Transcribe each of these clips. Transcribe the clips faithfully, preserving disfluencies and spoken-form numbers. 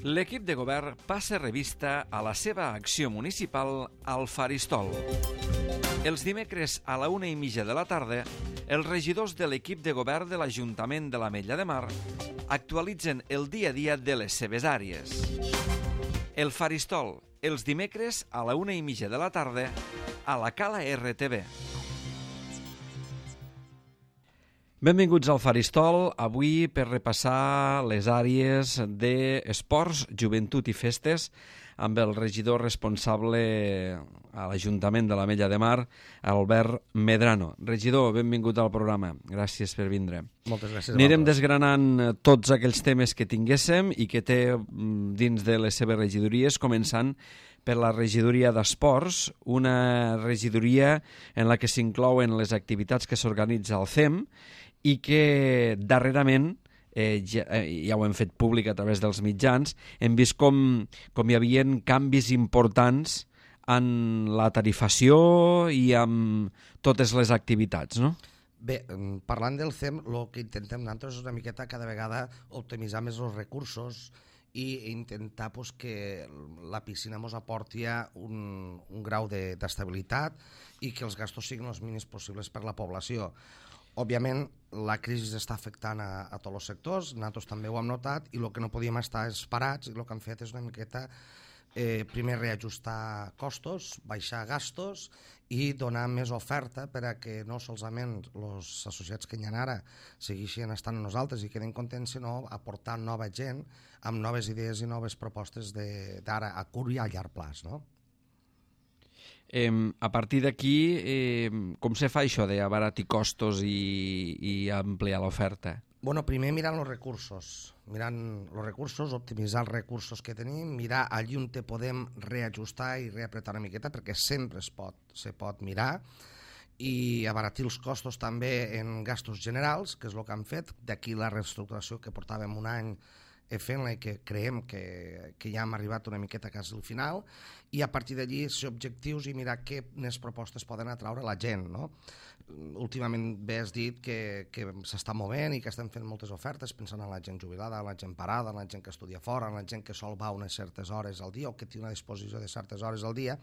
L'equip de govern passa revista a la seva acció municipal al Faristol. Els dimecres a la una i mitja de la tarda, els regidors de l'equip de govern de l'Ajuntament de l'Ametlla de Mar actualitzen el dia a dia de les seves àrees. El Faristol, els dimecres a la una i mitja de la tarda, a la Cala R T V. Benvinguts al Faristol, avui per repassar les àrees d'esports, joventut i festes amb el regidor responsable a l'Ajuntament de l'Ametlla de Mar, Albert Medrano. Regidor, benvingut al programa. Gràcies per vindre. Moltes gràcies. Anirem desgranant tots aquells temes que tinguéssim i que té dins de les seves regidories, començant per la regidoria d'esports, una regidoria en la que s'inclouen les activitats que s'organitza al C E M i que darrerament, eh, ja, eh, ja ho hem fet públic a través dels mitjans, hem vist com, com hi havia canvis importants en la tarifació i en totes les activitats, no? Bé, parlant del C E M, el que intentem nosaltres és una miqueta cada vegada optimitzar més els recursos i intentar pues, que la piscina ens aporti un, un grau d'estabilitat i que els gastos siguin els mínims possibles per la població. Òbviament, la crisi està afectant a, a tots els sectors, nosaltres també ho hem notat, i el que no podíem estar és parats, i el que hem fet és una miqueta eh, primer reajustar costos, baixar gastos i donar més oferta per a que no solament els associats que hi ha ara segueixin estant amb nosaltres i quedin contents, sinó aportar nova gent amb noves idees i noves propostes d'ara a curt i a llarg plaç, no? Eh, a partir d'aquí, eh, com se fa això d'abaratir costos i, i ampliar l'oferta? Bueno, primer mirant els recursos, mirant els recursos, optimitzar els recursos que tenim, mirar allí on te podem reajustar i reapretar una miqueta, perquè sempre es pot, se pot mirar, i abaratir els costos també en gastos generals, que és el que han fet, d'aquí la reestructuració que portàvem un any fent-la i que creiem que, que ja hem arribat una miqueta quasi al final, i a partir d'allí ser objectius i mirar què més propostes poden atraure la gent, no? Últimament bé has dit que, que s'està movent i que estem fent moltes ofertes pensant en la gent jubilada, en la gent parada, en la gent que estudia fora, en la gent que sol va unes certes hores al dia o que té una disposició de certes hores al dia,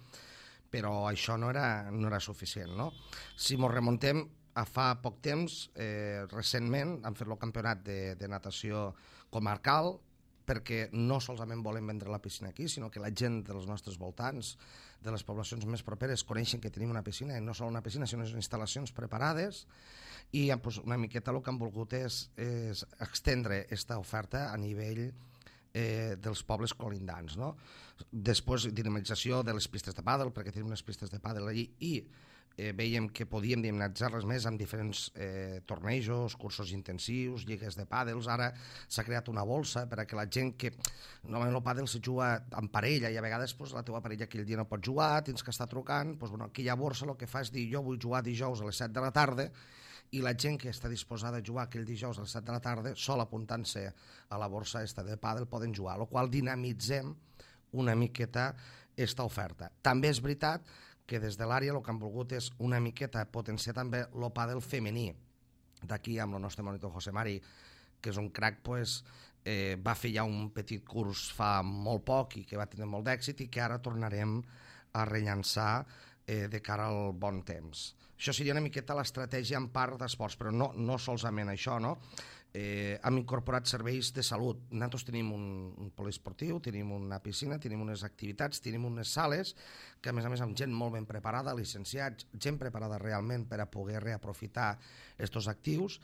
però això no era, no era suficient, no? Si ens remuntem a fa poc temps, eh, recentment han fet el campionat de, de natació comarcal, perquè no solament volem vendre la piscina aquí, sinó que la gent dels nostres voltants, de les poblacions més properes, coneixen que tenim una piscina, i no sol una piscina, sinó instal·lacions preparades, i pues, una miqueta el que han volgut és, és extendre aquesta oferta a nivell eh, dels pobles colindants, no? Després, dinamització de les pistes de pàdel, perquè tenim unes pistes de pàdel allí, i Eh, veiem que podíem dinamitzar-les més amb diferents eh, tornejos, cursos intensius, lligues de pàdels. Ara s'ha creat una bolsa per a que la gent que... Normalment el pàdel se juga en parella i a vegades pues, la teva parella aquell dia no pot jugar, tens que estar trucant. Pues, bueno, aquella borsa el que fa és dir jo vull jugar dijous a les set de la tarda i la gent que està disposada a jugar aquell dijous a les set de la tarda, sol apuntant-se a la borsa esta de pàdel, poden jugar, el qual dinamitzem una miqueta esta oferta. També és veritat que des de l'àrea el que han volgut és una miqueta potenciar també el pàdel femení. D'aquí amb el nostre monitor José Mari, que és un crac, pues, eh, va fer ja un petit curs fa molt poc i que va tenir molt d'èxit i que ara tornarem a rellançar eh, de cara al bon temps. Això seria una miqueta l'estratègia en part d'esports, però no, no solament això, no? Eh, hem incorporat serveis de salut. Nosaltres tenim un, un poliesportiu, tenim una piscina, tenim unes activitats, tenim unes sales que a més a més amb gent molt ben preparada, licenciats, gent preparada realment per a poder reaprofitar aquests actius,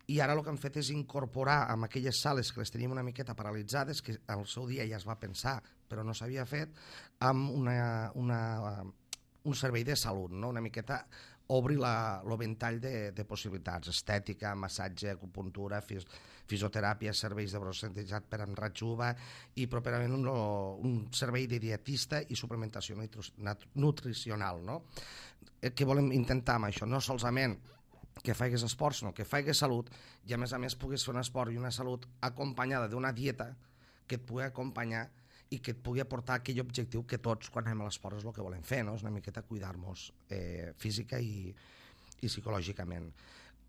i ara el que hem fet és incorporar amb aquelles sales que les tenim una miqueta paralitzades, que al seu dia ja es va pensar però no s'havia fet, amb una, una, un servei de salut, no? Una miqueta obri el ventall de, de possibilitats, estètica, massatge, acupuntura, fis, fisioteràpia, serveis de brocentejat per en ratjuva i properament un, un servei de dietista i suplementació nutricional, no? Què volem intentar amb això? No solament que faigues esport, sinó que faigues salut i a més a més puguis fer un esport i una salut acompanyada d'una dieta que et pugui acompanyar i que et pugui aportar aquell objectiu que tots quan anem a l'esport és el que volem fer, no? És una miqueta cuidar-nos eh, física i, i psicològicament.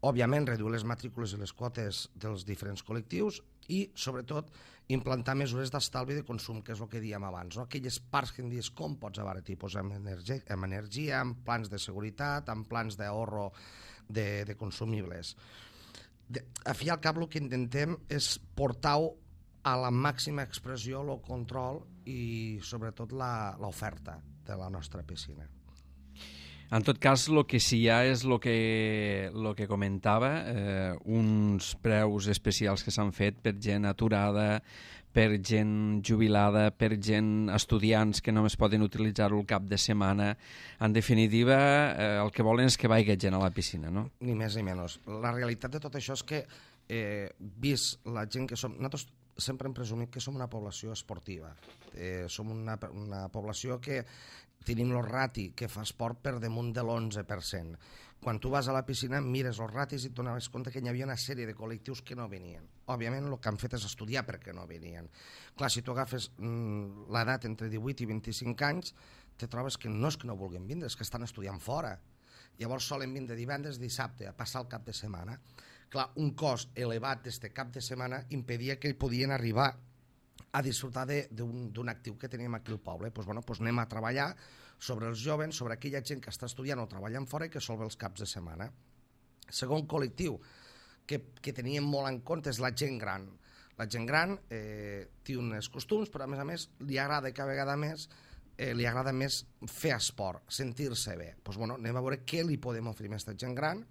òbviament, reduir les matrícules i les quotes dels diferents col·lectius i, sobretot, implantar mesures d'estalvi de consum, que és el que dèiem abans. No? Aquelles parts que em dius com pots abaratir, pues amb, energia, amb energia, amb plans de seguretat, amb plans d'ahorro de, de consumibles. De, a fi i al cap el que intentem és portar-ho a la màxima expressió, el control i, sobretot, l'oferta de la nostra piscina. En tot cas, el que sí hi ha és el que, lo que comentava, eh, uns preus especials que s'han fet per gent aturada, per gent jubilada, per gent estudiants que només poden utilitzar-ho el cap de setmana. En definitiva, eh, el que volen és que vagi gent a la piscina, no? Ni més ni menys. La realitat de tot això és que, eh, vist la gent que som... Nosaltres sempre hem presumit que som una població esportiva. Eh, som una, una població que tenim el rati que fa esport per damunt de l'onze per cent. Quan tu vas a la piscina mires els ratis i et donaves compte que hi havia una sèrie de col·lectius que no venien. Òbviament el que han fet és estudiar perquè no venien. Clar, si tu agafes mm, l'edat entre divuit i vint-i-cinc anys, te trobes que no és que no vulguin vindre, és que estan estudiant fora. Llavors solen vindre divendres, dissabte, a passar el cap de setmana. Clar, un cost elevat d'este cap de setmana impedia que podien arribar a disfrutar d'un actiu que teníem aquí al poble. Pues, bueno, pues anem a treballar sobre els joves, sobre aquella gent que està estudiant o treballant fora i que sol ve els caps de setmana. Segon col·lectiu que, que teníem molt en compte és la gent gran. La gent gran eh, té uns costums, però a més a més li agrada cada vegada més eh, li agrada més fer esport, sentir-se bé. Pues, bueno, anem a veure què li podem oferir a aquesta gent gran,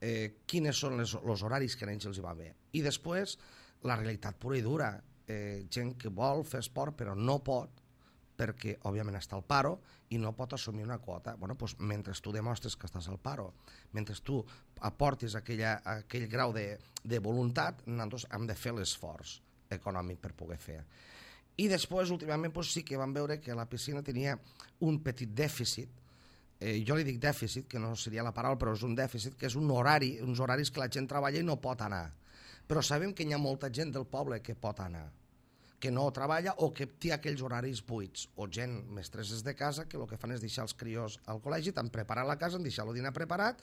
eh, quines són les, els horaris que a ells els hi va bé. I després, la realitat pura i dura. Eh, gent que vol fer esport però no pot perquè, òbviament, està al paro i no pot assumir una quota. Bueno, doncs, mentre tu demostres que estàs al paro, mentre tu aportis aquella, aquell grau de, de voluntat, nosaltres hem de fer l'esforç econòmic per poder fer. I després, últimament, doncs, sí que vam veure que la piscina tenia un petit dèficit. Eh, jo li dic dèficit, que no seria la paraula, però és un dèficit, que és un horari, uns horaris que la gent treballa i no pot anar. Però sabem que hi ha molta gent del poble que pot anar, que no treballa o que té aquells horaris buits, o gent mestresses de casa que el que fan és deixar els crios al col·legi, t'han preparat la casa, han deixat el dinar preparat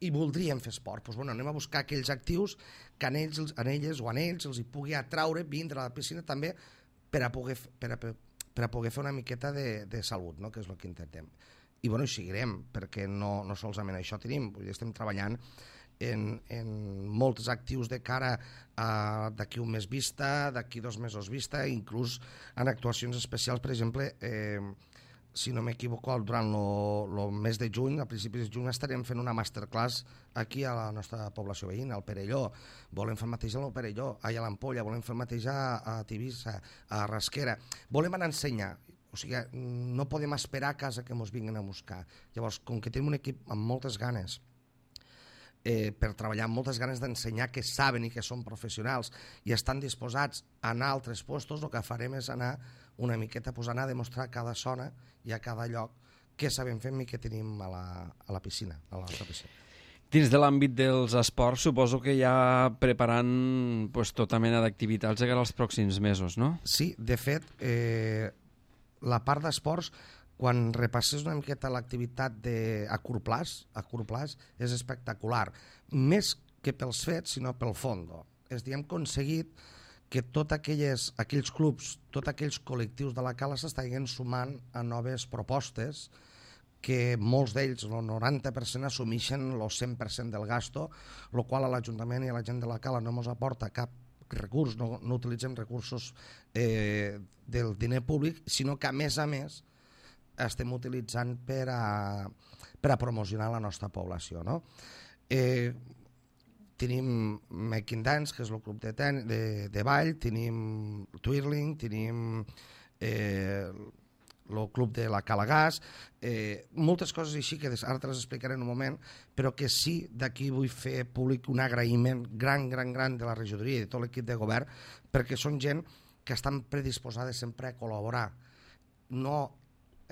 i voldrien fer esport. Doncs, bueno, anem a buscar aquells actius que en ells, en elles o en ells els hi pugui atraure vindre a la piscina també per a poder, per a, per a poder fer una miqueta de, de salut, no? Que és el que intentem. I bueno, hi seguirem, perquè no, no solament això tenim, estem treballant en, en molts actius de cara a d'aquí un mes vista, d'aquí dos mesos vista, inclús en actuacions especials. Per exemple, eh, si no m'equivoco, durant el mes de juny, a principis de juny, estarem fent una masterclass aquí a la nostra població veïna, al Perelló. Volem fer el mateix al Perelló, a l'Ampolla, volem fer el mateix a, a Tivissa, a Rasquera. Volem anar a ensenyar. O sigui, no podem esperar a casa que ens vinguin a buscar. Llavors, com que tenim un equip amb moltes ganes, eh, per treballar amb moltes ganes d'ensenyar que saben i que són professionals i estan disposats a anar a altres puestos, el que farem és anar una miqueta, pues, anar a demostrar a cada zona i a cada lloc què sabem fer i què tenim a la, a la piscina, a la nostra piscina. Dins de l'àmbit dels esports, suposo que ja preparant pues, tota mena d'activitats de cara als pròxims mesos, no? Sí, de fet, eh, la part d'esports, quan repasses una miqueta l'activitat a curt plaç, a curt plaç, és espectacular. Més que pels fets, sinó pel fondo. És a dir, hem aconseguit que tots aquells, aquells clubs, tots aquells col·lectius de la cala s'estan sumant a noves propostes que molts d'ells, el noranta per cent, assumeixen el cent per cent del gasto, el qual a l'Ajuntament i a la gent de la cala no ens aporta cap recurs, no, no utilitzem recursos eh, del diner públic, sinó que a més a més estem utilitzant per a, per a promocionar la nostra població, no? Eh, tenim Making Dance, que és el club de, ten, de, de ball, tenim Twirling, tenim eh, el club de la Calagàs, eh, moltes coses així que ara te les explicaré en un moment, però que sí, d'aquí vull fer públic un agraïment gran, gran, gran de la regidoria i de tot l'equip de govern, perquè són gent que estan predisposades sempre a col·laborar, no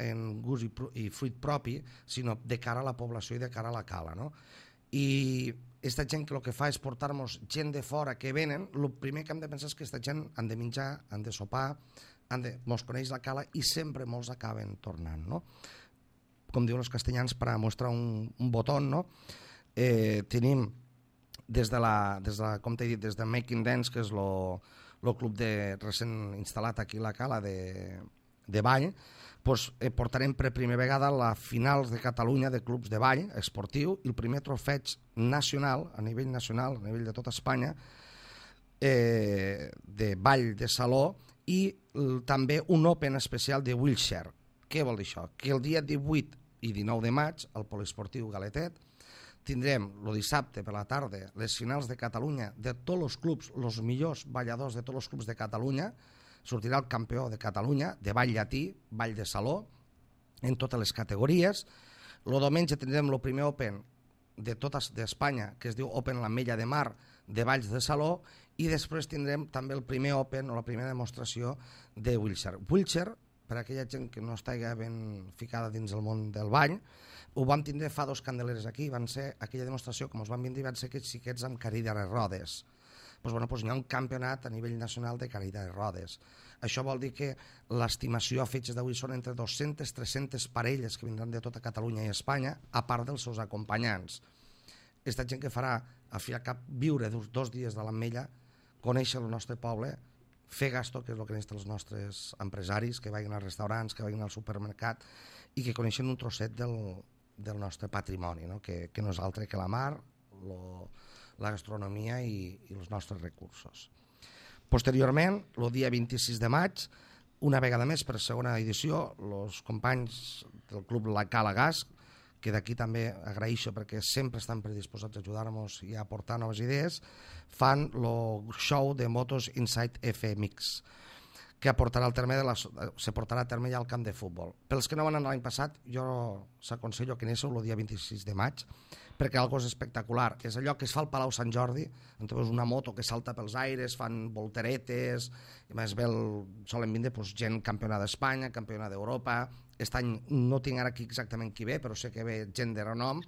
en gust i, i fruit propi, sinó de cara a la població i de cara a la cala, no? I aquesta gent que el que fa és portar-nos gent de fora que venen, el primer que hem de pensar és que aquesta gent han de menjar, han de sopar, han de, mos coneix la cala i sempre molts acaben tornant, no? Com diuen els castellans, per a mostrar un, un botó, no? eh, tenim des de la, des de la, com t'he dit, des de Making Dance, que és el club de, recent instal·lat aquí a la Cala de, de ball, pues, eh, portarem per primera vegada la finals de Catalunya de clubs de ball esportiu i el primer trofeig nacional, a nivell nacional, a nivell de tota Espanya, eh, de ball de saló i l, també un Open especial de wheelchair. Què vol dir això? Que el dia divuit i dinou de maig, al Poliesportiu Galetet, tindrem el dissabte per la tarda les finals de Catalunya de tots els clubs, els millors balladors de tots els clubs de Catalunya. Sortirà el campió de Catalunya de ball llatí, ball de saló, en totes les categories. El diumenge tindrem el primer Open de tota d'Espanya, que es diu Open l'Ametlla de Mar, de balls de saló, i després tindrem també el primer Open o la primera demostració de wheelchair. Wheelchair, per a aquella gent que no estigui ben ficada dins el món del ball, ho vam tindre fa dos candeleres aquí, van ser aquella demostració, com us vam dir, van ser aquests xiquets amb cadira de rodes. Pues, bueno, pues hi ha un campionat a nivell nacional de cadira de rodes. Això vol dir que l'estimació a fetges d'avui són entre dues-centes a tres-centes parelles que vindran de tota Catalunya i Espanya, a part dels seus acompanyants. Aquesta gent que farà, al fi i al cap, viure dos, dos dies de l'Ametlla, conèixer el nostre poble, fer gasto, que és el que necessiten els nostres empresaris, que vagin als restaurants, que vagin al supermercat i que coneixen un trosset del, del nostre patrimoni, no? Que, que no és altre que la mar, lo, la gastronomia i, i els nostres recursos. Posteriorment, el dia vint-i-sis de maig, una vegada més per segona edició, els companys del Club La Cala Gas, que d'aquí també agraeixo perquè sempre estan predisposats a ajudar-nos i a aportar noves idees, fan el show de motos Inside F M X, que aportarà al terme de la, se portarà a terme ja al camp de futbol. Pels que no van anar l'any passat, jo s'aconsello que anéssiu el dia vint-i-sis de maig, perquè algo és espectacular. És allò que es fa al Palau Sant Jordi, on veus una moto que salta pels aires, fan volteretes, i més bé solen vindre pues, gent campionat d'Espanya, campionat d'Europa. Aquest any no tinc ara aquí exactament qui ve, però sé que ve gent de renom,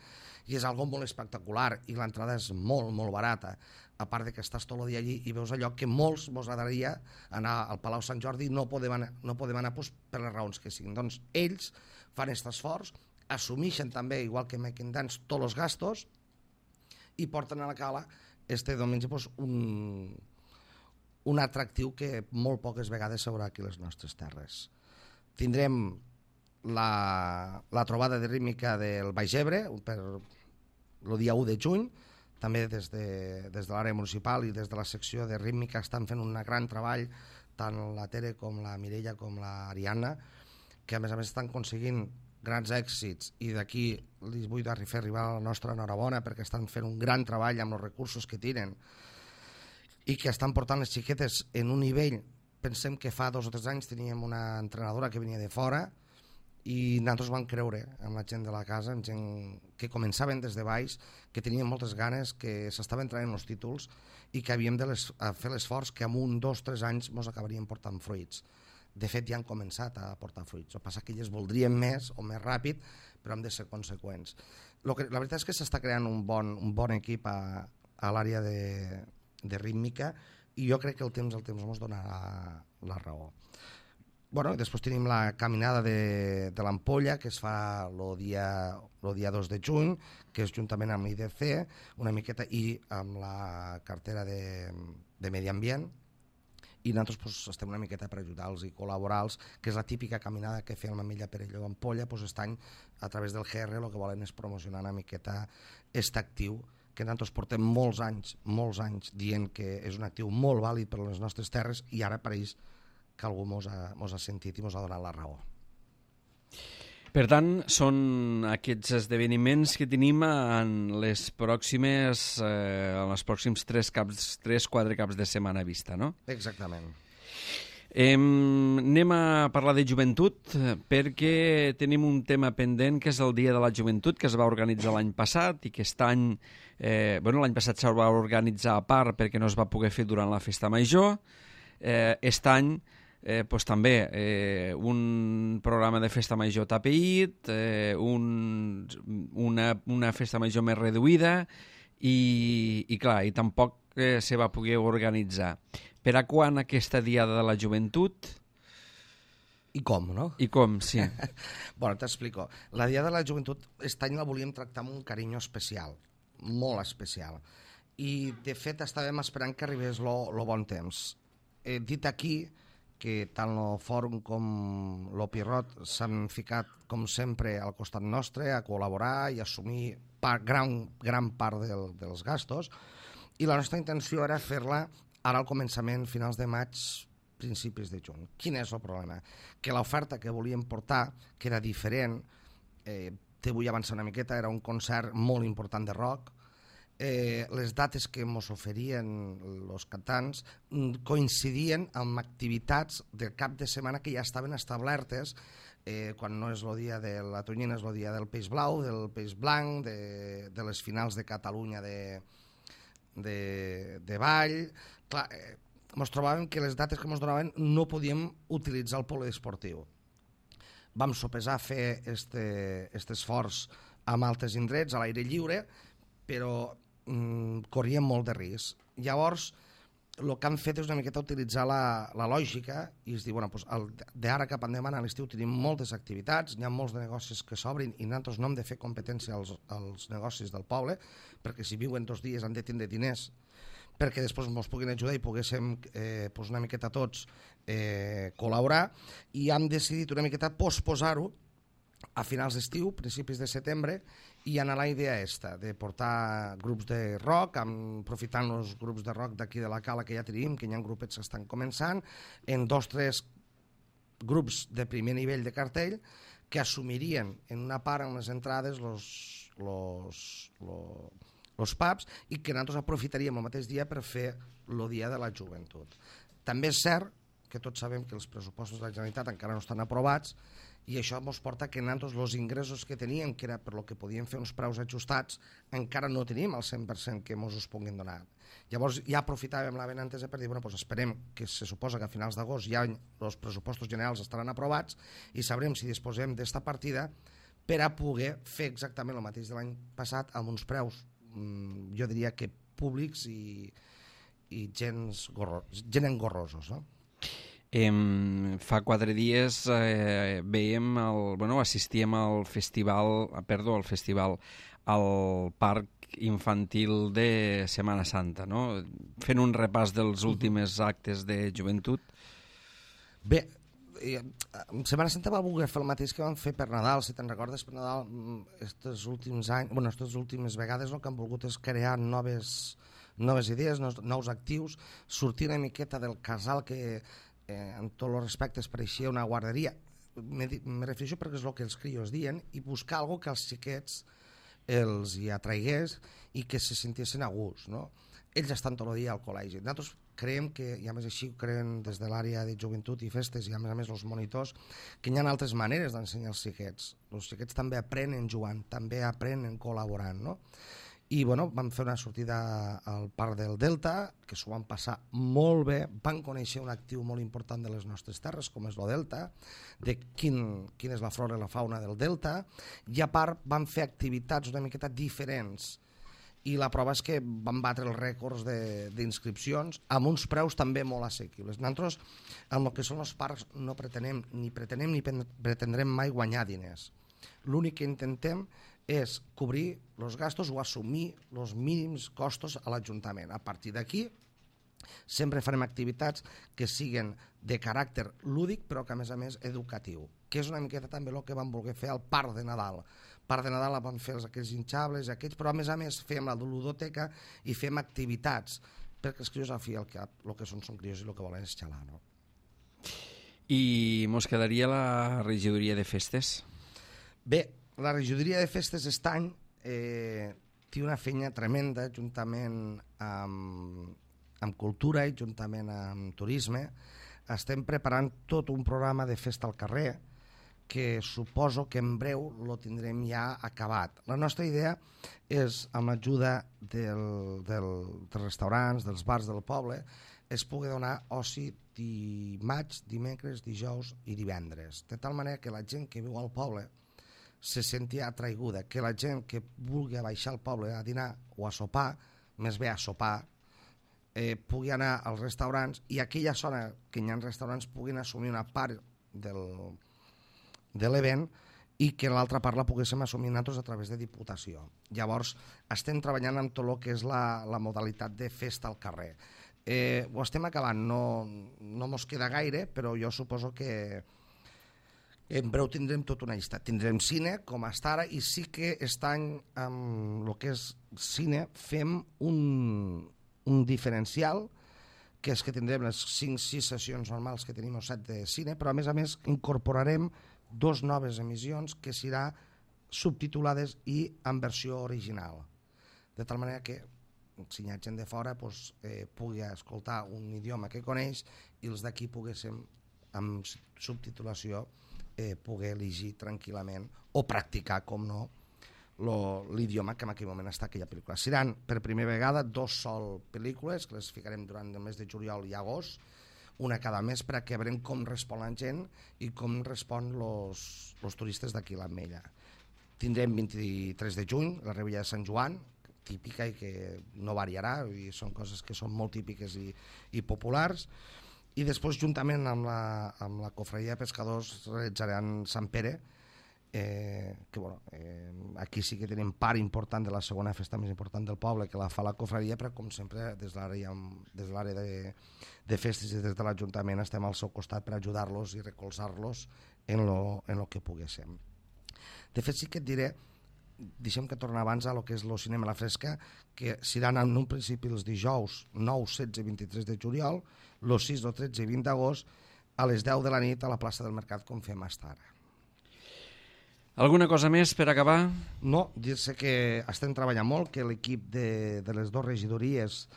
i és algo molt espectacular, i l'entrada és molt, molt barata. A part de que estàs tot el dia allí i veus allò que molts mos agradaria anar al Palau Sant Jordi i no podem anar, no podem anar pues, per les raons que siguin. Doncs ells fan aquest esforç, assumeixen també, igual que Making Dance, tots els gastos i porten a la Cala este diumenge pues, un, un atractiu que molt poques vegades s'haurà aquí a les nostres terres. Tindrem la, la trobada de rítmica del Baix Ebre per el dia u de juny, també des de, des de l'àrea municipal i des de la secció de rítmica estan fent un gran treball, tant la Tere com la Mireia com la Ariadna, que a més a més estan aconseguint grans èxits i d'aquí li vull fer arribar la nostra enhorabona perquè estan fent un gran treball amb els recursos que tenen i que estan portant les xiquetes en un nivell. Pensem que fa dos o tres anys teníem una entrenadora que venia de fora i nosaltres vam creure amb la gent de la casa, amb gent que començaven des de baix, que tenien moltes ganes, que s'estaven traient els títols i que havíem de les, fer l'esforç que en un, dos, tres anys ens acabarien portant fruits. De fet, ja han començat a portar fruits. El que passa que elles voldrien més o més ràpid, però hem de ser conseqüents. Lo que, la veritat és que s'està creant un bon, un bon equip a, a l'àrea de, de rítmica i jo crec que el temps el temps ens donarà la, la raó. Bueno, després tenim la caminada de, de l'Ampolla, que es fa el dia, el dia dos de juny, que és juntament amb l'I D C, una miqueta, i amb la cartera de, de Medi Ambient, i nosaltres pues, estem una miqueta per ajudar-los i col·laborar-los, que és la típica caminada que feia l'Ametlla Perelló d'Ampolla, pues, aquest any, a través del G R, el que volen és promocionar una miqueta aquest actiu, que nosaltres portem molts anys, molts anys dient que és un actiu molt vàlid per a les nostres terres, i ara pareix que algú mos ha, mos ha sentit i mos ha donat la raó. Per tant, són aquests esdeveniments que tenim en les pròximes, eh, en els pròxims tres caps, tres, quatre caps de setmana a vista, no? Exactament. Eh, anem a parlar de joventut perquè tenim un tema pendent que és el Dia de la Joventut, que es va organitzar l'any passat i que aquest any, eh, bueno, l'any passat se'l va organitzar a part perquè no es va poder fer durant la festa major. Eh, aquest any Eh, pues també eh, un programa de festa major tapeït, eh, un, una, una festa major més reduïda i, i clar, i tampoc eh, se va poder organitzar. Per a quan aquesta Diada de la Joventut? I com, no? I com, sí. Bueno, t'explico. La Diada de la Joventut, aquest any la volíem tractar amb un carinyo especial, molt especial. I, de fet, estàvem esperant que arribés el bon temps. He dit aquí que tant el fòrum com l'Opirot s'han ficat, com sempre, al costat nostre a col·laborar i assumir part, gran, gran part del, dels gastos, i la nostra intenció era fer-la ara al començament, finals de maig, principis de juny. Quin és el problema? Que l'oferta que volíem portar, que era diferent, eh, te vull avançar una miqueta, era un concert molt important de rock, eh, les dates que ens oferien els cantants coincidien amb activitats del cap de setmana que ja estaven establertes, eh, quan no és el dia de la tonyina, és el dia del peix blau, del peix blanc, de, de les finals de Catalunya de, de, de ball. Clar, eh, ens trobàvem que les dates que ens donaven no podíem utilitzar el poliesportiu. Vam sopesar fer este, este esforç amb altres indrets, a l'aire lliure, però mm, corríem molt de risc. Llavors, el que han fet és una miqueta utilitzar la, la lògica i es diu, bueno, pues, d'ara cap endavant a l'estiu tenim moltes activitats, hi ha molts de negocis que s'obrin i nosaltres no hem de fer competència als, als negocis del poble, perquè si viuen dos dies han de tindre diners perquè després ens puguin ajudar i poguéssim eh, pues una miqueta tots eh, col·laborar, i hem decidit una miqueta posposar-ho a finals d'estiu, principis de setembre, i anar a la idea esta, de portar grups de rock, amb, aprofitant els grups de rock d'aquí de la Cala que ja tenim, que hi ha grupets que estan començant, en dos o tres grups de primer nivell de cartell, que assumirien en una part en les entrades los, los, los, els pubs, i que nosaltres aprofitaríem el mateix dia per fer el dia de la joventut. També és cert que tots sabem que els pressupostos de la Generalitat encara no estan aprovats, i això ens porta que nosaltres els ingressos que teníem, que era per lo que podíem fer uns preus ajustats, encara no tenim el cent per cent que ens us puguin donar. Llavors ja aprofitàvem la benentesa per dir, bueno, doncs esperem que se suposa que a finals d'agost ja els pressupostos generals estaran aprovats i sabrem si disposem d'esta partida per a poder fer exactament el mateix de l'any passat amb uns preus, jo diria que públics i, i gens gorro, gent engorrosos, no? Eh, fa quatre dies eh, veiem el, bueno, assistíem al festival, perdó, al festival, al parc infantil de Setmana Santa, no? Fent un repàs dels últims actes de joventut. Bé, Setmana Santa va voler fer el mateix que vam fer per Nadal, si te'n recordes, per Nadal, estos últims anys, bueno, aquestes últimes vegades el que han volgut és crear noves, noves idees, nous, nous actius, sortir una miqueta del casal que eh, en tots els respectes pareixia una guarderia. Me, me refereixo perquè és el que els crios diuen, i buscar alguna que als xiquets els hi atraigués i que se sentissin a gust, no? Ells estan tot el dia al col·legi. Nosaltres creiem que, i a més així ho creiem des de l'àrea de joventut i festes, i a més a més els monitors, que hi ha altres maneres d'ensenyar els xiquets. Els xiquets també aprenen jugant, també aprenen col·laborant, no? I bueno, vam fer una sortida al Parc del Delta, que s'ho van passar molt bé, van conèixer un actiu molt important de les nostres terres, com és el Delta, de quin, quina és la flora i la fauna del Delta, i a part van fer activitats una miqueta diferents, i la prova és que van batre els rècords d'inscripcions amb uns preus també molt assequibles. Nosaltres, en el que són els parcs, no pretenem ni pretenem ni pretendrem mai guanyar diners. L'únic que intentem és cobrir els gastos o assumir els mínims costos a l'Ajuntament. A partir d'aquí, sempre farem activitats que siguin de caràcter lúdic, però que a més a més educatiu, que és una miqueta també el que vam voler fer al Parc de Nadal. Part de Nadal vam fer aquells hinxables, aquells, però a més a més fem la ludoteca i fem activitats, perquè els crios al fi el que, el que són són crios i el que volen és xalar, no? I mos quedaria la regidoria de festes? Bé, la regidoria de festes aquest any eh, té una feina tremenda juntament amb, amb cultura i juntament amb turisme. Estem preparant tot un programa de festa al carrer que suposo que en breu lo tindrem ja acabat. La nostra idea és, amb l'ajuda del, del, dels restaurants, dels bars del poble, es pugui donar oci dimarts, dimecres, dijous i divendres, de tal manera que la gent que viu al poble se senti atraiguda, que la gent que vulgui baixar al poble a dinar o a sopar, més bé a sopar, eh, pugui anar als restaurants, i aquella zona que hi ha restaurants puguin assumir una part del de l'event i que l'altra part la poguéssim assumir nosaltres a través de Diputació. Llavors, estem treballant amb tot el que és la, la modalitat de festa al carrer. Eh, ho estem acabant, no, no mos queda gaire, però jo suposo que en breu tindrem tota una llista. Tindrem cine, com està ara, i sí que aquest any, amb el que és cine, fem un, un diferencial, que és que tindrem les cinc sis sessions normals que tenim o set de cine, però a més a més incorporarem dos noves emissions que serà subtitulades i en versió original. De tal manera que si hi ha gent de fora doncs, eh, pugui escoltar un idioma que coneix i els d'aquí poguéssim, amb subtitulació, eh, poder llegir tranquil·lament o practicar, com no, l'idioma que en aquell moment està aquella pel·lícula. Seran per primera vegada dos sol pel·lícules que les ficarem durant el mes de juliol i agost, una cada mes, perquè veurem com respon la gent i com respon els turistes d'aquí a l'Ametlla. Tindrem vint-i-tres de juny, la Revetlla de Sant Joan, típica i que no variarà, i són coses que són molt típiques i, i populars. I després, juntament amb la, amb la Cofradia de Pescadors, realitzaran Sant Pere, eh, que bueno, eh, aquí sí que tenim part important de la segona festa més important del poble, que la fa la Cofradia, però com sempre des de l'àrea des de, l'àrea de, de festes i des de l'Ajuntament estem al seu costat per ajudar-los i recolzar-los en lo, en lo que poguéssim. De fet, sí que et diré, deixem que torni abans a lo que és el cinema a la fresca, que seran en un principi els dijous nou, setze i vint-i-tres de juliol, els sis, tretze i vint d'agost, a les deu de la nit a la plaça del Mercat, com fem fins ara. Alguna cosa més per acabar? No, dir-se que estem treballant molt, que l'equip de, de les dues regidories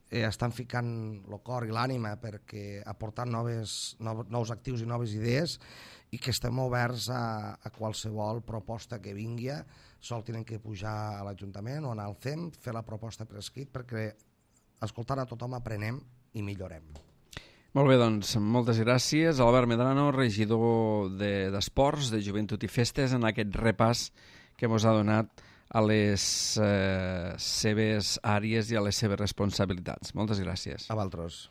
eh, estan ficant el cor i l'ànima perquè aportar noves, nous, nous actius i noves idees, i que estem oberts a, a qualsevol proposta que vingui. Sol tenen que pujar a l'Ajuntament o anar al C E M, fer la proposta per escrit, perquè escoltant a tothom aprenem i millorem. Molt bé, doncs, moltes gràcies. Albert Medrano, regidor d'Esports, de, de Joventut i Festes, en aquest repàs que ens ha donat a les eh, seves àrees i a les seves responsabilitats. Moltes gràcies. A vosaltres.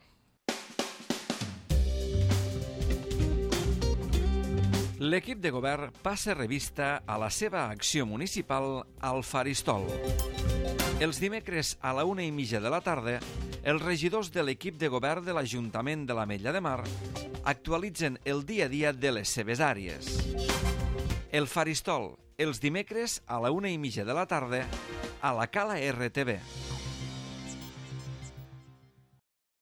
L'equip de govern passa revista a la seva acció municipal al Faristol. Els dimecres a la una i mitja de la tarda, els regidors de l'equip de govern de l'Ajuntament de l'Ametlla de Mar actualitzen el dia a dia de les seves àrees. El Faristol, els dimecres a la una i mitja de la tarda, a la Cala R T V.